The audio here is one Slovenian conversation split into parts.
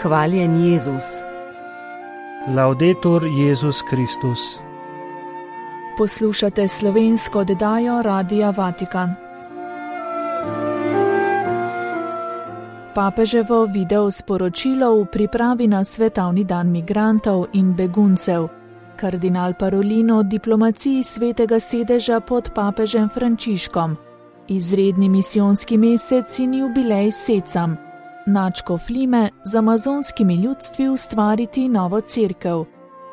Hvaljen Jezus. Laudetur Jezus Kristus. Poslušate slovensko oddajo Radia Vatikan. Papeževo video sporočilo v pripravi na svetovni dan migrantov in beguncev. Kardinal Parolin o diplomaciji svetega sedeža pod papežem Frančiškom. Izredni misijonski mesec in jubilej Secam. Nadško Flime z amazonskimi ljudstvi ustvariti novo cerkev.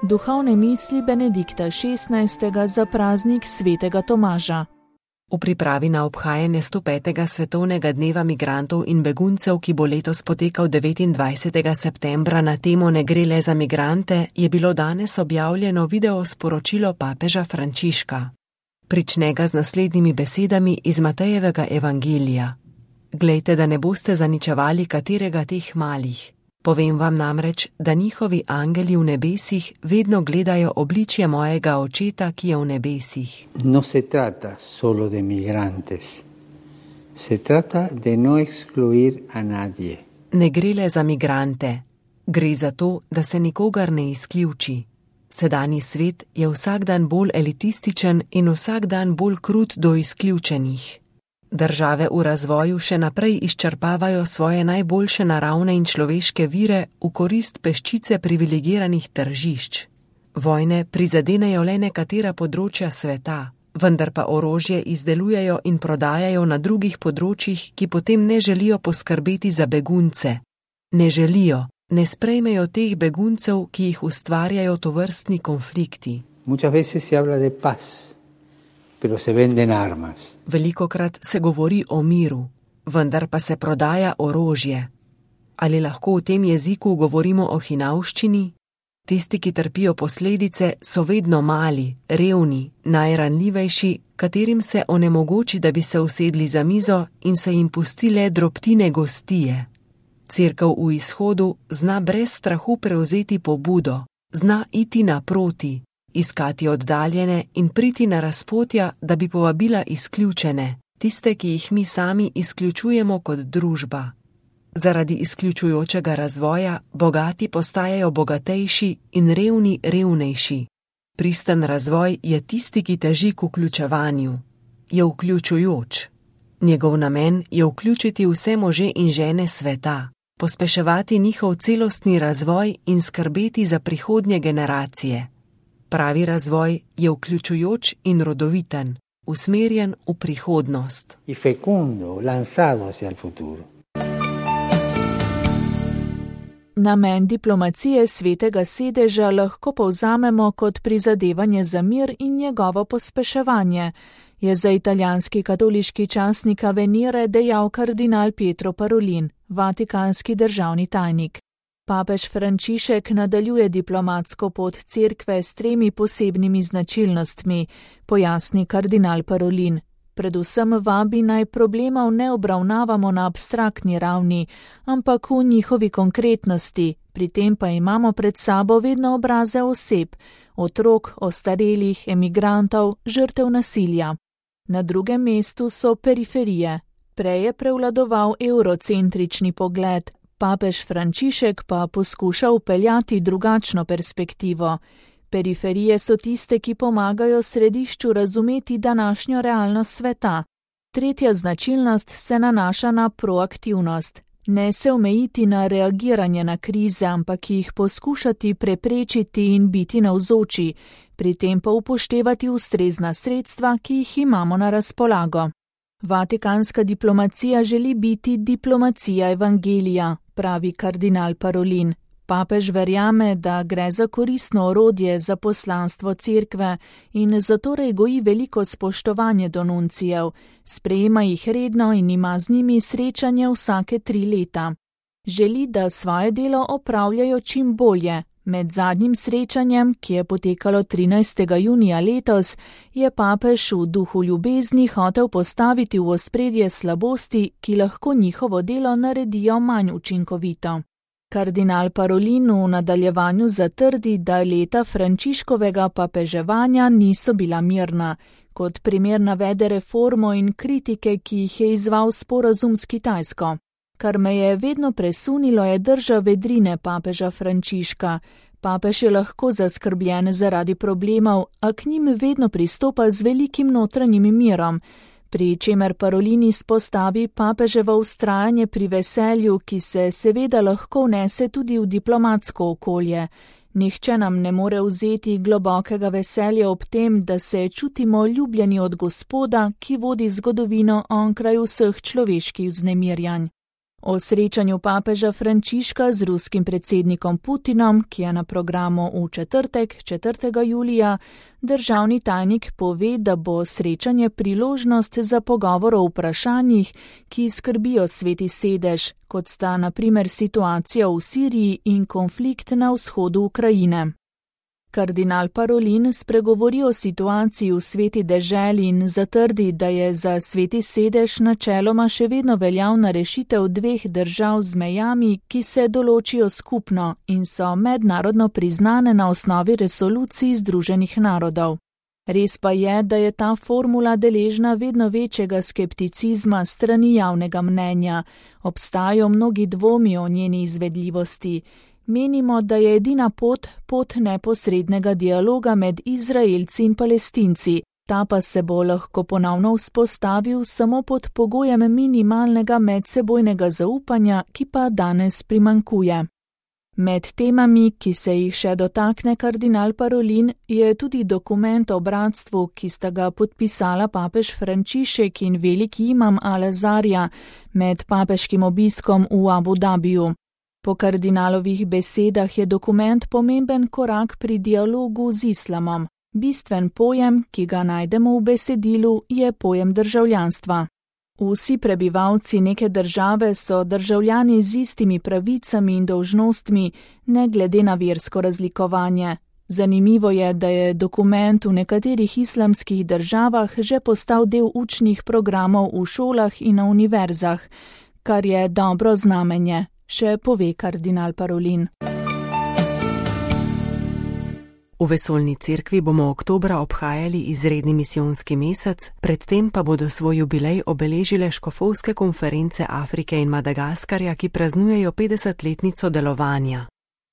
Duhovne misli Benedikta XVI. Za praznik svetega Tomaža. V pripravi na obhajanje 105. svetovnega dneva migrantov in beguncev, ki bo letos potekal 29. septembra na temo Ne gre le za migrante, je bilo danes objavljeno video sporočilo papeža Frančiška. Prične ga z naslednjimi besedami iz Matejevega evangelija. Glejte, da ne boste zaničevali katerega teh malih. Povem vam namreč, da njihovi angeli v nebesih vedno gledajo obličje mojega očeta, ki je v nebesih. No se trata solo de migrantes. Se trata de no excluir a nadie. Ne gre le za migrante. Gre za to, da se nikogar ne izključi. Sedanji svet je vsak dan bolj elitističen in vsak dan bolj krut do izključenih. Države v razvoju še naprej izčrpavajo svoje najboljše naravne in človeške vire v korist peščice privilegiranih tržišč. Vojne prizadenejo le nekatera področja sveta, vendar pa orožje izdelujejo in prodajajo na drugih področjih, ki potem ne želijo poskrbeti za begunce. Ne želijo, ne sprejmejo teh beguncev, ki jih ustvarjajo tovrstni konflikti. Muchas veces se habla de paz. Pero se venden armas. Velikokrat se govori o miru, vendar pa se prodaja orožje. Ali lahko v tem jeziku govorimo o hinavščini? Tisti, ki trpijo posledice, so vedno mali, revni, najranljivejši, katerim se onemogoči, da bi se usedli za mizo in se jim pusti le drobtine gostije. Cerkev v izhodu zna brez strahu prevzeti pobudo, zna iti naproti, iskati oddaljene in priti na razpotja, da bi povabila izključene, tiste, ki jih mi sami izključujemo kot družba. Zaradi izključujočega razvoja bogati postajajo bogatejši in revni revnejši. Pristen razvoj je tisti, ki teži k vključevanju. Je vključujoč. Njegov namen je vključiti vse može in žene sveta, pospeševati njihov celostni razvoj in skrbeti za prihodnje generacije. Pravi razvoj je vključujoč in rodoviten, usmerjen v prihodnost. Y fecundo, lanzado hacia el futuro. Namen diplomacije svetega sedeža lahko povzamemo kot prizadevanje za mir in njegovo pospeševanje, je za italijanski katoliški časnik Avvenire dejal kardinal Pietro Parolin, vatikanski državni tajnik. Papež Frančišek nadaljuje diplomatsko pot cerkve s 3 posebnimi značilnostmi, pojasni kardinal Parolin. Predvsem vabi naj problemov ne obravnavamo na abstraktni ravni, ampak v njihovi konkretnosti, pri tem pa imamo pred sabo vedno obraze oseb, otrok, ostarelih, emigrantov, žrtev nasilja. Na drugem mestu so periferije. Prej je prevladoval eurocentrični pogled, papež Frančišek pa poskuša vpeljati drugačno perspektivo. Periferije so tiste, ki pomagajo središču razumeti današnjo realnost sveta. Tretja značilnost se nanaša na proaktivnost. Ne se omejiti na reagiranje na krize, ampak jih poskušati preprečiti in biti navzoči, pri tem pa upoštevati ustrezna sredstva, ki jih imamo na razpolago. Vatikanska diplomacija želi biti diplomacija evangelija, pravi kardinal Parolin. Papež verjame, da gre za koristno orodje za poslanstvo cerkve in zatorej goji veliko spoštovanje do nuncijev, sprejema jih redno in ima z njimi srečanje vsake 3 leta. Želi, da svoje delo opravljajo čim bolje. Med zadnjim srečanjem, ki je potekalo 13. junija letos, je papež v duhu ljubezni hotel postaviti v ospredje slabosti, ki lahko njihovo delo naredijo manj učinkovito. Kardinal Parolin v nadaljevanju zatrdi, da leta Frančiškovega papeževanja niso bila mirna. Kot primer navede reformo in kritike, ki jih je izval sporazum s Kitajsko. Kar me je vedno presunilo, je drža vedrine papeža Frančiška. Papež je lahko zaskrbljen zaradi problemov, a k njim vedno pristopa z velikim notranjim mirom, pri čemer Parolin izpostavi papeževo vztrajanje pri veselju, ki se seveda lahko vnese tudi v diplomatsko okolje. Nihče nam ne more vzeti globokega veselja ob tem, da se čutimo ljubljeni od Gospoda, ki vodi zgodovino onkraj vseh človeških vznemirjanj. O srečanju papeža Frančiška z ruskim predsednikom Putinom, ki je na programu v četrtek, 4. julija, državni tajnik pove, da bo srečanje priložnost za pogovor o vprašanjih, ki skrbijo Sveti sedež, kot sta na primer situacija v Siriji in konflikt na vzhodu Ukrajine. Kardinal Parolin spregovori o situaciji v Sveti deželi in zatrdi, da je za Sveti sedež načeloma še vedno veljavna rešitev dveh držav z mejami, ki se določijo skupno in so mednarodno priznane na osnovi resolucij Združenih narodov. Res pa je, da je ta formula deležna vedno večjega skepticizma strani javnega mnenja. Obstajajo mnogi dvomi o njeni izvedljivosti. Menimo, da je edina pot neposrednega dialoga med Izraelci in Palestinci. Ta pa se bo lahko ponovno vzpostavil samo pod pogojem minimalnega medsebojnega zaupanja, ki pa danes primanjkuje. Med temami, ki se jih še dotakne kardinal Parolin, je tudi dokument o bratstvu, ki sta ga podpisala papež Frančišek in veliki imam Al-Azarja med papeškim obiskom v Abu Dabiju. Po kardinalovih besedah je dokument pomemben korak pri dialogu z islamom. Bistven pojem, ki ga najdemo v besedilu, je pojem državljanstva. Vsi prebivalci neke države so državljani z istimi pravicami in dolžnostmi, ne glede na versko razlikovanje. Zanimivo je, da je dokument v nekaterih islamskih državah že postal del učnih programov v šolah in na univerzah, kar je dobro znamenje, še pove kardinal Parolin. V Vesoljni cerkvi bomo oktobra obhajali izredni misijonski mesec, predtem pa bodo svoj jubilej obeležile škofovske konference Afrike in Madagaskarja, ki praznujejo 50-letnico delovanja.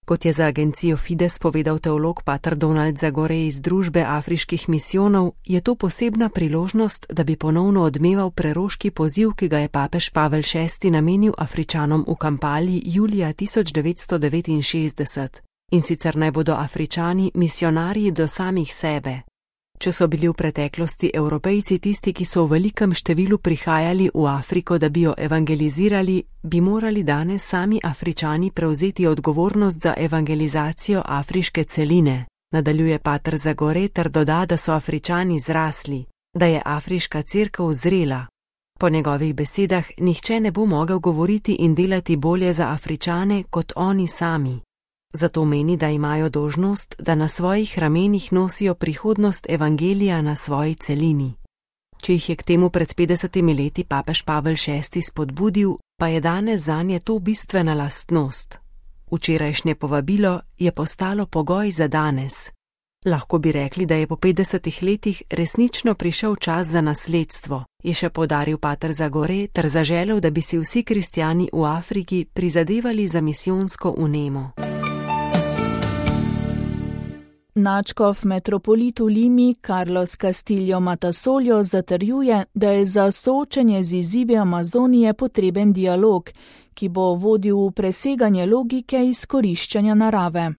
Kot je za agencijo Fides povedal teolog pater Donald Zagore iz Družbe afriških misijonov, je to posebna priložnost, da bi ponovno odmeval preroški poziv, ki ga je papež Pavel VI namenil Afričanom v Kampali julija 1969. In sicer naj bodo Afričani misionarji do samih sebe. Če so bili v preteklosti Evropejci tisti, ki so v velikem številu prihajali v Afriko, da bi jo evangelizirali, bi morali danes sami Afričani prevzeti odgovornost za evangelizacijo afriške celine. Nadaljuje pater Zagore ter doda, da so Afričani zrasli, da je afriška cerkev zrela. Po njegovih besedah nihče ne bo mogel govoriti in delati bolje za Afričane kot oni sami. Zato meni, da imajo dolžnost, da na svojih ramenih nosijo prihodnost evangelija na svoji celini. Če jih je k temu pred 50 leti papež Pavel VI spodbudil, pa je danes zanje to bistvena lastnost. Včerajšnje povabilo je postalo pogoj za danes. Lahko bi rekli, da je po 50 letih resnično prišel čas za nasledstvo, je še poudaril pater Zagore ter zaželel, da bi si vsi kristjani v Afriki prizadevali za misijonsko vnemo. Nadškof metropolit v Limi Carlos Castillo Matasoljo zatrjuje, da je za soočenje z izzivi Amazonije potreben dialog, ki bo vodil v preseganje logike izkoriščanja narave.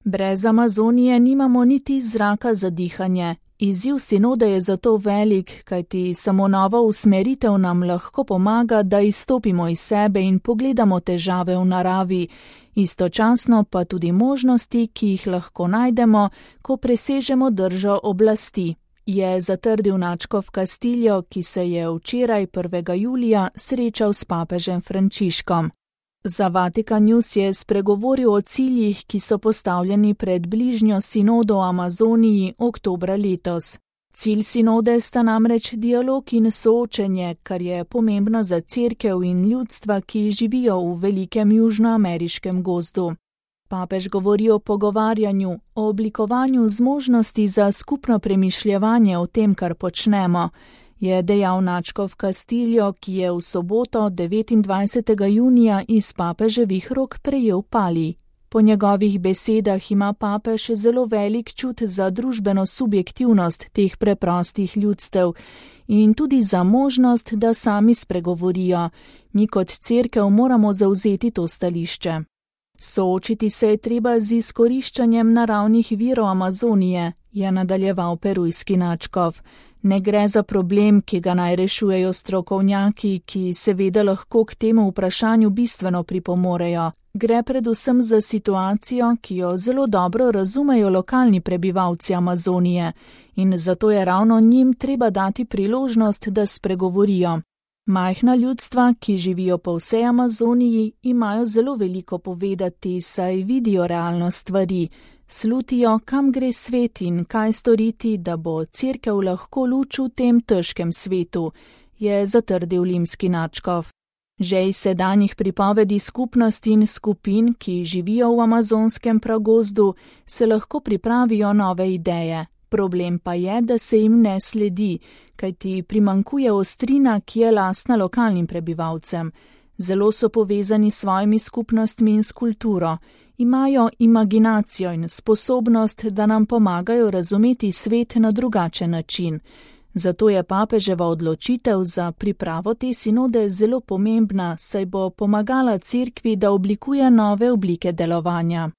Brez Amazonije nimamo niti zraka za dihanje. Izziv sinode je zato velik, kajti samo nova usmeritev nam lahko pomaga, da izstopimo iz sebe in pogledamo težave v naravi, istočasno pa tudi možnosti, ki jih lahko najdemo, ko presežemo držo oblasti, je zatrdil nadškof Castillo, ki se je včeraj 1. julija srečal s papežem Frančiškom. Za Vatikan News je spregovoril o ciljih, ki so postavljeni pred bližnjo sinodo o Amazoniji oktobra letos. Cilj sinode sta namreč dialog in soočenje, kar je pomembno za cerkev in ljudstva, ki živijo v velikem južnoameriškem gozdu. Papež govori o pogovarjanju, o oblikovanju zmožnosti za skupno premišljevanje o tem, kar počnemo. je dejal nadškof Castillo, ki je v soboto 29. junija iz papeževih rok prejel palij. Po njegovih besedah ima papež zelo velik čut za družbeno subjektivnost teh preprostih ljudstev in tudi za možnost, da sami spregovorijo. Mi kot cerkev moramo zavzeti to stališče. Soočiti se je treba z izkoriščanjem naravnih virov Amazonije, je nadaljeval perujski nadškof. Ne gre za problem, ki ga naj rešujejo strokovnjaki, ki seveda lahko k temu vprašanju bistveno pripomorejo. Gre predvsem za situacijo, ki jo zelo dobro razumejo lokalni prebivalci Amazonije in zato je ravno njim treba dati priložnost, da spregovorijo. Majhna ljudstva, ki živijo po vsej Amazoniji, imajo zelo veliko povedati, saj vidijo realnost stvari. Slutijo, kam gre svet in kaj storiti, da bo cerkev lahko luč v tem težkem svetu, je zatrdil limski nadškof. Že iz sedanjih pripovedi skupnosti in skupin, ki živijo v amazonskem pragozdu, se lahko pripravijo nove ideje. Problem pa je, da se jim ne sledi, kajti primankuje ostrina, ki je lastna lokalnim prebivalcem. Zelo so povezani s svojimi skupnostmi in s kulturo. Imajo imaginacijo in sposobnost, da nam pomagajo razumeti svet na drugačen način. Zato je papeževa odločitev za pripravo te sinode zelo pomembna, saj bo pomagala cerkvi, da oblikuje nove oblike delovanja.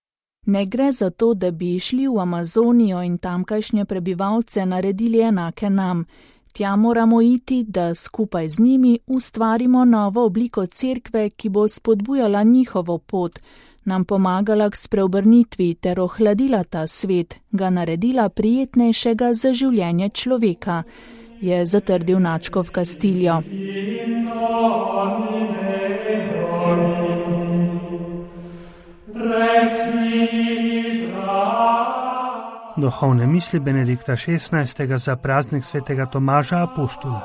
Ne gre za to, da bi šli v Amazonijo in tamkajšnje prebivalce naredili enake nam. Tja moramo iti, da skupaj z njimi ustvarimo novo obliko cerkve, ki bo spodbujala njihovo pot, nam pomagala k spreobrnitvi ter ohladila ta svet, ga naredila prijetnejšega za življenje človeka, je zatrdil nadškof Castillo. Duhovne misli Benedikta XVI. Za praznik svetega Tomaža Apostola.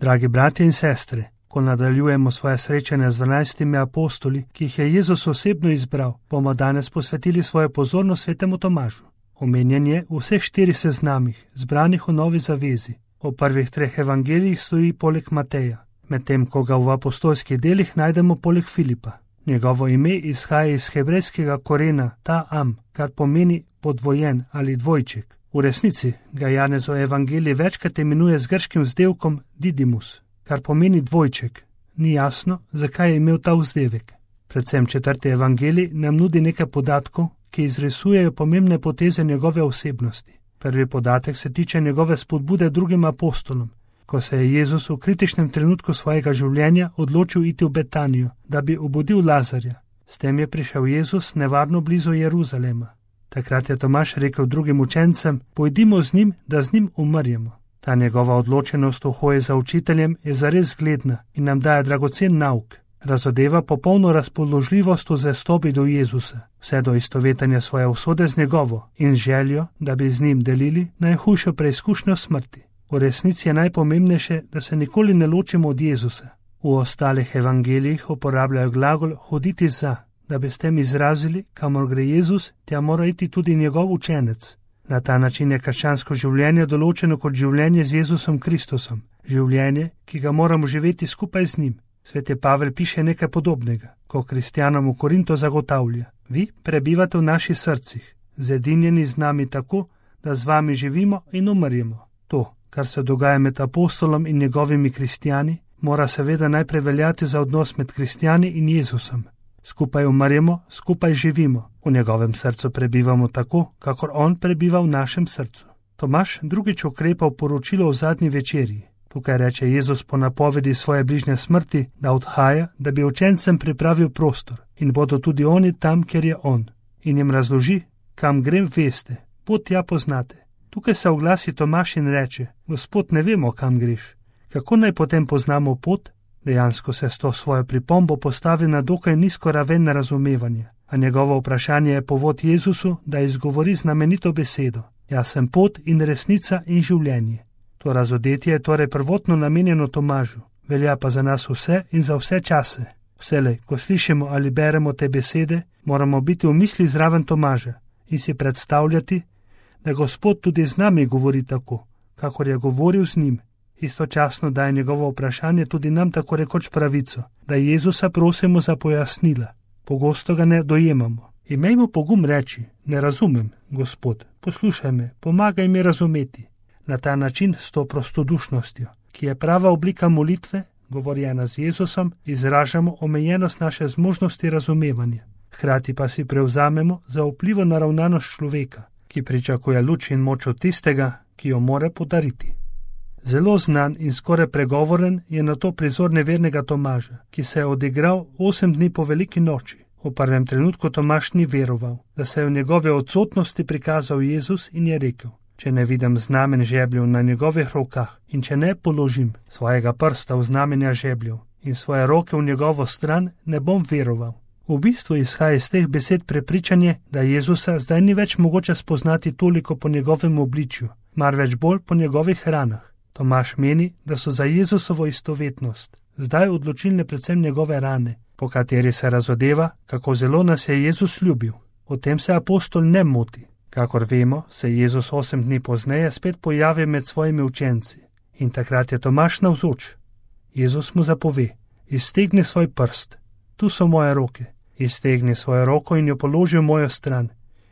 Dragi bratje in sestre, ko nadaljujemo svoje srečanje z 12 apostoli, ki jih je Jezus osebno izbral, bomo danes posvetili svojo pozornost svetemu Tomažu. Omenjen je v vseh 4 seznamih, zbranih v Novi zavezi. V prvih 3 evangelijih stoji poleg Mateja, medtem ko ga v apostolskih delih najdemo poleg Filipa. Njegovo ime izhaja iz hebrejskega korena ta-am, kar pomeni podvojen ali dvojček. V resnici ga Janez v evangeliji večkrat imenuje z grškim vzdevkom Didymus, kar pomeni dvojček. Ni jasno, zakaj je imel ta vzdevek. Predvsem 4. evangelij nam nudi nekaj podatkov, ki izrisujejo pomembne poteze njegove osebnosti. Prvi podatek se tiče njegove spodbude drugim apostolom, ko se je Jezus v kritičnem trenutku svojega življenja odločil iti v Betanijo, da bi obudil Lazarja. S tem je prišel Jezus nevarno blizu Jeruzalema. Takrat je Tomaž rekel drugim učencem, pojdimo z njim, da z njim umrjemo. Ta njegova odločenost v hoji za učiteljem je zares zgledna in nam daje dragocen nauk. Razodeva popolno razpoložljivost v zvestobi do Jezusa, vse do istovetenja svoje usode z njegovo in željo, da bi z njim delili najhujšo preizkušnjo smrti. V resnici je najpomembnejše, da se nikoli ne ločimo od Jezusa. V ostalih evangelijih uporabljajo glagol hoditi za, da bi s tem izrazili, kamor gre Jezus, tja mora iti tudi njegov učenec. Na ta način je krščansko življenje določeno kot življenje z Jezusom Kristusom, življenje, ki ga moramo živeti skupaj z njim. Sveti Pavel piše nekaj podobnega, ko kristjanom v Korinto zagotavlja: vi prebivate v naših srcih, zedinjeni z nami tako, da z vami živimo in umrjemo. To, kar se dogaja med apostolom in njegovimi kristjani, mora seveda najprej veljati za odnos med kristjani in Jezusom. Skupaj umrjemo, skupaj živimo, v njegovem srcu prebivamo tako, kakor on prebiva v našem srcu. Tomaž drugič ukrepa v poročilo o zadnji večerji. Tukaj reče Jezus po napovedi svoje bližnje smrti, da odhaja, da bi učencem pripravil prostor in bodo tudi oni tam, kjer je on. In jim razloži, kam grem, veste, pot tja poznate. Tukaj se oglasi Tomaž in reče: Gospod, ne vemo, kam greš. Kako naj potem poznamo pot? Dejansko se s to svojo pripombo postavi na dokaj nizko raven razumevanja, a njegovo vprašanje je povod Jezusu, da izgovori znamenito besedo: Jaz sem pot in resnica in življenje. To razodetje je torej prvotno namenjeno Tomažu, velja pa za nas vse in za vse čase. Vselej, ko slišimo ali beremo te besede, moramo biti v misli zraven Tomaža in si predstavljati, da Gospod tudi z nami govori tako, kakor je govoril z njim. Istočasno daje njegovo vprašanje tudi nam tako rekoč pravico, da Jezusa prosimo za pojasnila. Pogosto ga ne dojemamo. Imejmo pogum reči, ne razumem, Gospod, poslušaj me, pomagaj mi razumeti. Na ta način s to prostodušnostjo, ki je prava oblika molitve, govorjena z Jezusom, izražamo omejenost naše zmožnosti razumevanja. Hkrati pa si prevzamemo za vplivo naravnanost človeka, ki pričakuje luč in moč od tistega, ki jo more podariti. Zelo znan in skoraj pregovoren je na to prizor nevernega Tomaža, ki se je odigral 8 dni po veliki noči. V prvem trenutku Tomaž ni veroval, da se je v njegove odsotnosti prikazal Jezus in je rekel: če ne vidim znamen žebljev na njegovih rokah in če ne položim svojega prsta v znamenja žebljev in svoje roke v njegovo stran, ne bom veroval. V bistvu izhaja iz teh besed prepričanje, da Jezusa zdaj ni več mogoče spoznati toliko po njegovem obličju, marveč bolj po njegovih ranah. Tomaž meni, da so za Jezusovo istovetnost zdaj odločilne predvsem njegove rane, po kateri se razodeva, kako zelo nas je Jezus ljubil. O tem se apostol ne moti. Kakor vemo, se Jezus 8 dni pozneje spet pojavi med svojimi učenci in takrat je Tomaž navzoč. Jezus mu zapove: iztegni svoj prst, tu so moje roke, iztegni svojo roko in jo položi v mojo stran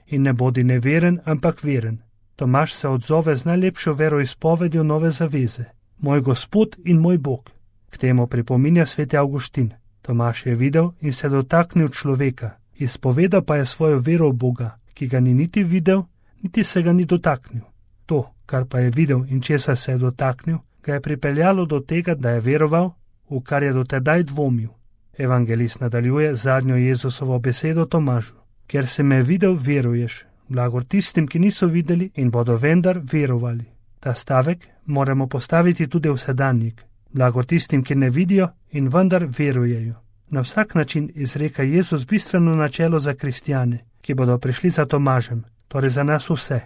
in ne bodi neveren, ampak veren. Tomaž se odzove z najlepšo veroizpovedjo nove zaveze: moj Gospod in moj Bog. K temu pripominja sveti Avguštin. Tomaž je videl in se dotaknil človeka, izpovedal pa je svojo vero v Boga, ki ga ni niti videl, niti se ga ni dotaknil. To, kar pa je videl in česa se je dotaknil, ga je pripeljalo do tega, da je veroval, v kar je dotedaj dvomil. Evangelist nadaljuje zadnjo Jezusovo besedo Tomažu: ker se me videl, veruješ. Blagor tistim, ki niso videli in bodo vendar verovali. Ta stavek moramo postaviti tudi v sedanjik. Blagor tistim, ki ne vidijo in vendar verujejo. Na vsak način izreka Jezus bistveno načelo za kristjane, ki bodo prišli za Tomažem, torej za nas vse.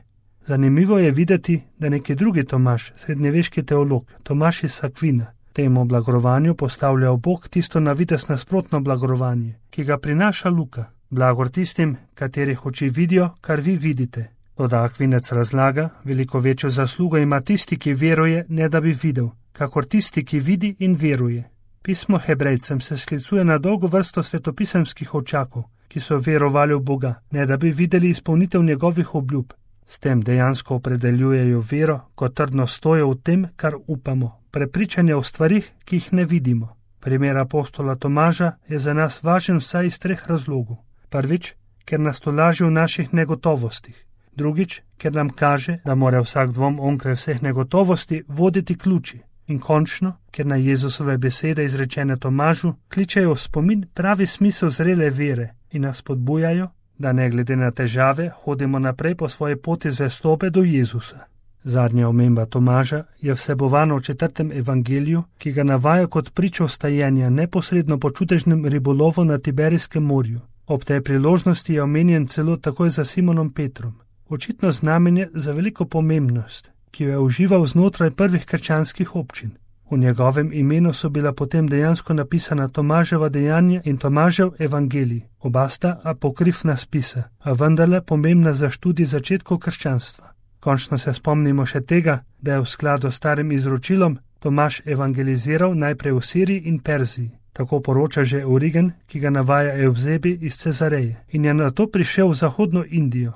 Zanimivo je videti, da neki drugi Tomaž, srednjeveški teolog, Tomaž iz Akvina, temu blagorovanju postavlja v bok tisto na videz nasprotno blagorovanje, ki ga prinaša Luka. Blagor tistim, katerih oči vidijo, kar vi vidite. Toda Akvinec razlaga, veliko večjo zaslugo ima tisti, ki veruje, ne da bi videl, kakor tisti, ki vidi in veruje. Pismo Hebrejcem se sklicuje na dolgo vrsto svetopisemskih očakov, ki so verovali v Boga, ne da bi videli izpolnitev njegovih obljub. S tem dejansko opredeljujejo vero kot trdno stojo v tem, kar upamo, prepričanje o stvarih, ki jih ne vidimo. Primer apostola Tomaža je za nas važen vsaj iz 3 razlogov. Prvič, ker nas tolaži v naših negotovostih. Drugič, ker nam kaže, da mora vsak dvom onkraj vseh negotovosti voditi k luči. In končno, ker na Jezusove besede izrečene Tomažu kličejo v spomin pravi smisel zrele vere in nas spodbujajo, da ne glede na težave hodimo naprej po svoji poti zvestobe do Jezusa. Zadnja omemba Tomaža je vsebovana v 4. evangeliju, ki ga navaja kot pričo vstajenja neposredno po čudežnem ribolovu na Tiberijskem morju. Ob tej priložnosti je omenjen celo takoj za Simonom Petrom. Očitno znamenje za veliko pomembnost, ki jo je užival znotraj prvih krščanskih občin. V njegovem imenu so bila potem dejansko napisana Tomaževa dejanja in Tomažev evangelij. Oba sta apokrifna spisa, a vendarle pomembna za študij začetkov krščanstva. Končno se spomnimo še tega, da je v skladu s starim izročilom Tomaž evangeliziral najprej v Siriji in Perziji. Tako poroča že Origen, ki ga navaja Evzebi iz Cezareje, in je nato prišel v zahodno Indijo.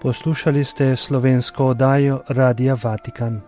Poslušali ste slovensko oddajo Radia Vatikan.